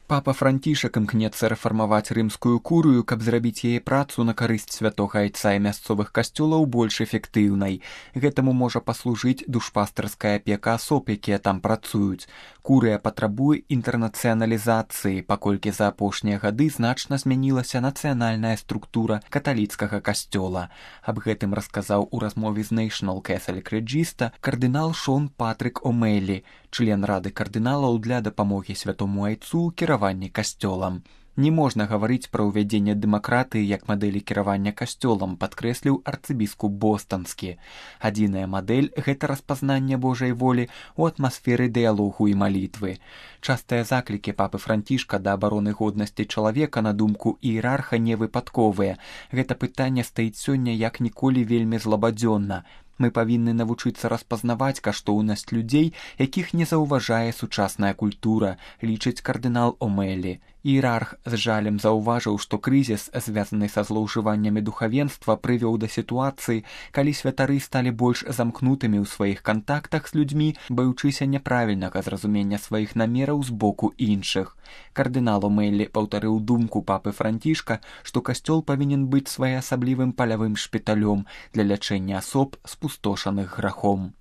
Папа Францішак імкнецца рэфармаваць рымскую курыю, каб зрабіць яе працу на карысць святога айца і мясцовых касцёлаў больш эфектыўнай. Гэтаму можа паслужыць душпастарская апека асоб, якія там працуюць. Курыя патрабуе інтэрнацыяналізацыі, паколькі за апошнія гады значна змянілася нацыянальная структура каталіцкага касцёла. Аб гэтым расказаў у размове з National Catholic Register кардынал Шон Патрык О'Мэлі, член рады кардыналаў для дапамогі святому айцу ў кіраванні касцёлам. Не можна гаварыць пра ўвядзенне дэмакратыі як мадэлі кіравання касцёлам, падкрэсліў арцыбіскуп бостанскі. Адзіная мадэль – гэта распазнанне Божай волі ў атмасферы дыялогу і малітвы. Частыя заклікі папы Францішка да абароны годнасці чалавека, на думку іерарха, не выпадковыя. Гэта пытанне стаіць сёння як ніколі вельмі злабадзённа. Мы павінны навучыцца распазнаваць каштоўнасць людзей, якіх не заўважае сучасная культура, лічыць кардынал О'Мэлі. Іерарх з жалем заўважыў, што крызіс, звязаны са злоўжываннямі духавенства, прывёў да сітуацыі, калі святары сталі больш замкнутымі ў сваіх кантактах з людзьмі, баючыся няправільнага зразумення сваіх намераў з боку іншых. Кардынал О'Мэлі паўтарыў думку папы Францішка, што касцёл павінен быць своеасаблівым палявым шпіталём для лячэння асоб, спустошаных грахом.